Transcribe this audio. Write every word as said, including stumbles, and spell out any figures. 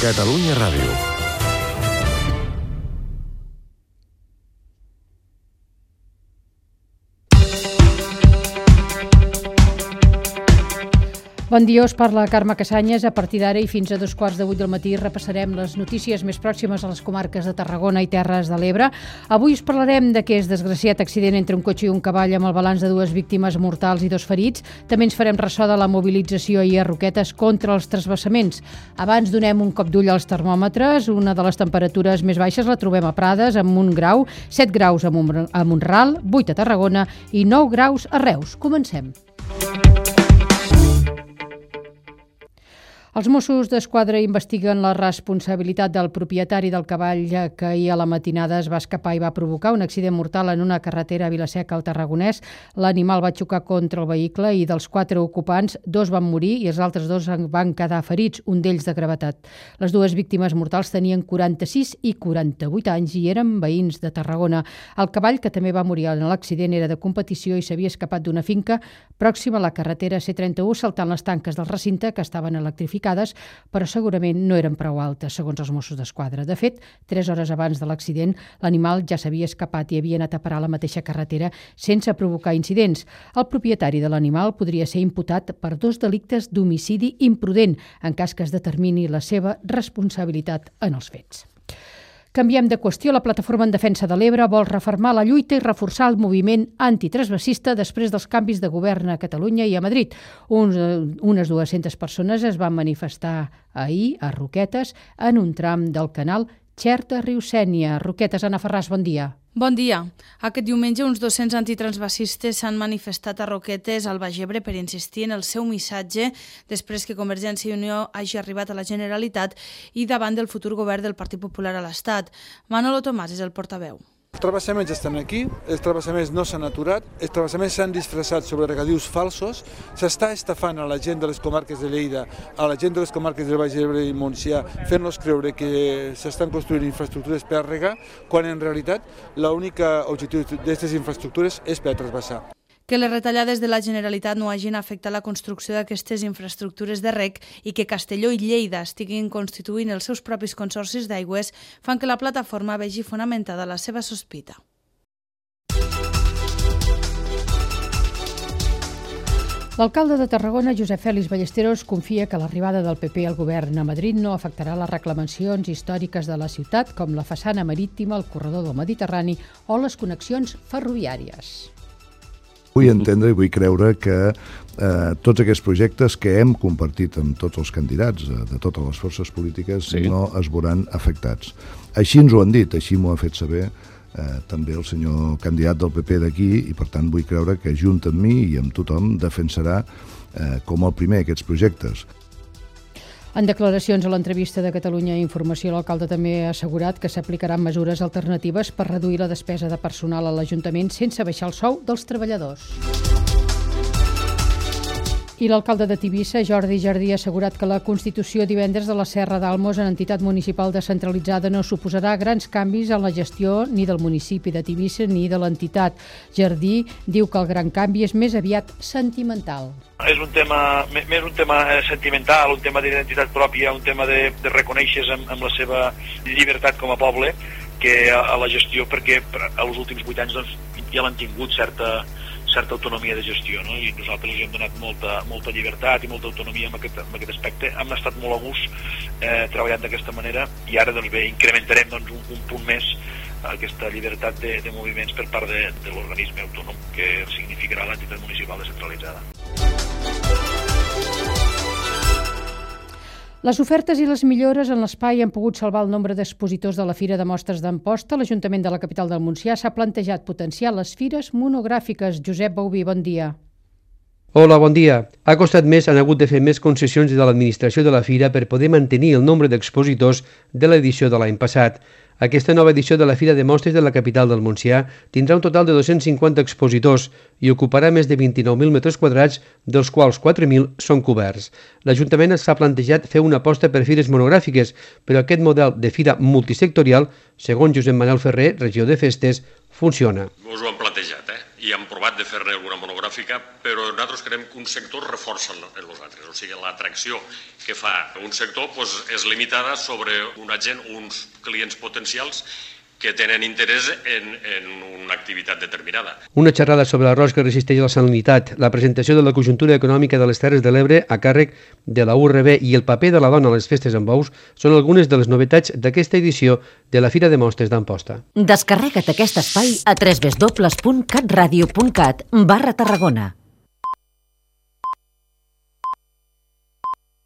Catalunya Ràdio. Bon dia, us parla Carme Cassanyes. A partir d'ara i fins a dos quarts de vuit del matí repassarem les notícies més pròximes a les comarques de Tarragona i Terres de l'Ebre. Avui us parlarem d'aquest desgraciat accident entre un cotxe i un cavall amb el balanç de dues víctimes mortals i dos ferits. També ens farem ressò de la mobilització ahir a Roquetes contra els transvasaments. Abans donem un cop d'ull als termòmetres. Una de les temperatures més baixes la trobem a Prades amb un grau, set graus a Mont-ral, vuit a Tarragona i nou graus a Reus. Comencem. Els Mossos d'Esquadra investiguen la responsabilitat del propietari del cavall que ahir a la matinada es va escapar i va provocar un accident mortal en una carretera a Vila-seca al Tarragonès. L'animal va xocar contra el vehicle i dels quatre ocupants, dos van morir i els altres dos van quedar ferits, un d'ells de gravetat. Les dues víctimes mortals tenien quaranta-sis i quaranta-vuit anys i eren veïns de Tarragona. El cavall, que també va morir en l'accident, era de competició i s'havia escapat d'una finca pròxima a la carretera C trenta-u saltant les tanques del recinte que estaven electrificades, però segurament no eren prou altes, segons els Mossos d'Esquadra. De fet, tres hores abans de l'accident, l'animal ja s'havia escapat i havia anat a parar a la mateixa carretera sense provocar incidents. El propietari de l'animal podria ser imputat per dos delictes d'homicidi imprudent, en cas que es determini la seva responsabilitat en els fets. Canviem de qüestió. La Plataforma en Defensa de l'Ebre vol refermar la lluita i reforçar el moviment antitransvasista després dels canvis de govern a Catalunya i a Madrid. Uns, unes dues-centes persones es van manifestar ahir a Roquetes en un tram del canal Xerta-Riu-Sénia. Roquetes, Anna Ferràs, bon dia. Bon dia. Aquest diumenge uns dos-cents antitransvasistes s'han manifestat a Roquetes, al Baix Ebre, per insistir en el seu missatge després que Convergència i Unió hagi arribat a la Generalitat i davant del futur govern del Partit Popular a l'Estat. Manolo Tomàs és el portaveu. Els travessaments estan aquí, els travessaments no s'han aturat, els travessaments s'han disfressat sobre regadius falsos, s'està estafant a la gent de les comarques de Lleida, a la gent de les comarques del Baix Ebre i Montsià, fent-los creure que s'estan construint infraestructures per a regar, quan en realitat l'únic objectiu d'aquestes infraestructures és per a transvasar. Que les retallades de la Generalitat no hagin afectat la construcció d'aquestes infraestructures de reg i que Castelló i Lleida estiguin constituint els seus propis consorcis d'aigües fan que la plataforma vegi fonamentada la seva sospita. L'alcalde de Tarragona, Josep Fèlix Ballesteros, confia que l'arribada del P P al govern a Madrid no afectarà les reclamacions històriques de la ciutat, com la façana marítima, el corredor del Mediterrani o les connexions ferroviàries. Vull entendre i vull creure que eh, tots aquests projectes que hem compartit amb tots els candidats eh, de totes les forces polítiques sí. no es veuran afectats. Així ens ho han dit, així m'ho ha fet saber eh, també el senyor candidat del P P d'aquí i per tant vull creure que junt amb mi i amb tothom defensarà eh, com el primer aquests projectes. En declaracions a l'entrevista de Catalunya Informació, l'alcalde també ha assegurat que s'aplicaran mesures alternatives per reduir la despesa de personal a l'Ajuntament sense baixar el sou dels treballadors. I l'alcalde de Tivissa, Jordi Jardí, ha assegurat que la constitució divendres de la Serra d'Almos en entitat municipal descentralitzada no suposarà grans canvis en la gestió ni del municipi de Tivissa ni de l'entitat. Jardí diu que el gran canvi és més aviat sentimental. És un tema, més un tema sentimental, un tema d'identitat pròpia, un tema de, de reconèixer amb, amb la seva llibertat com a poble que a, a la gestió, perquè als últims vuit anys doncs, ja l'han tingut certa certa autonomia de gestió, no? I nosaltres els hem donat molta, molta llibertat i molta autonomia en aquest, en aquest aspecte. Hem estat molt a gust eh, treballant d'aquesta manera i ara doncs, bé, incrementarem doncs, un, un punt més aquesta llibertat de, de moviments per part de, de l'organisme autònom que significarà l'entitat municipal descentralitzada. Les ofertes i les millores en l'espai han pogut salvar el nombre d'expositors de la Fira de Mostres d'Amposta. L'Ajuntament de la capital del Montsià s'ha plantejat potenciar les fires monogràfiques. Josep Bauví, bon dia. Hola, bon dia. Ha costat més, han hagut de fer més concessions de l'administració de la Fira per poder mantenir el nombre d'expositors de l'edició de l'any passat. Aquesta nova edició de la Fira de Mostres de la capital del Montsià tindrà un total de dos-cents cinquanta expositors i ocuparà més de vint-i-nou mil metres quadrats, dels quals quatre mil són coberts. L'Ajuntament s'ha plantejat fer una aposta per fires monogràfiques, però aquest model de fira multisectorial, segons Josep Manel Ferrer, regió de Festes, funciona. Us ho hem plantejat, eh? i hem provat de fer-ne alguna monogràfica, però nosaltres creiem que un sector reforça en els altres. O sigui, l'atracció que fa un sector doncs, és limitada sobre una gent, uns clients potencials que tenen interès en, en una activitat determinada. Una xerrada sobre l'arròs que resisteix a la salinitat, la presentació de la conjuntura econòmica de les Terres de l'Ebre a càrrec de la U R B i el paper de la dona a les festes amb bous són algunes de les novetats d'aquesta edició de la Fira de Mostres d'Amposta. Descarrega't aquest espai a w w w punt catradio punt cat barra Tarragona.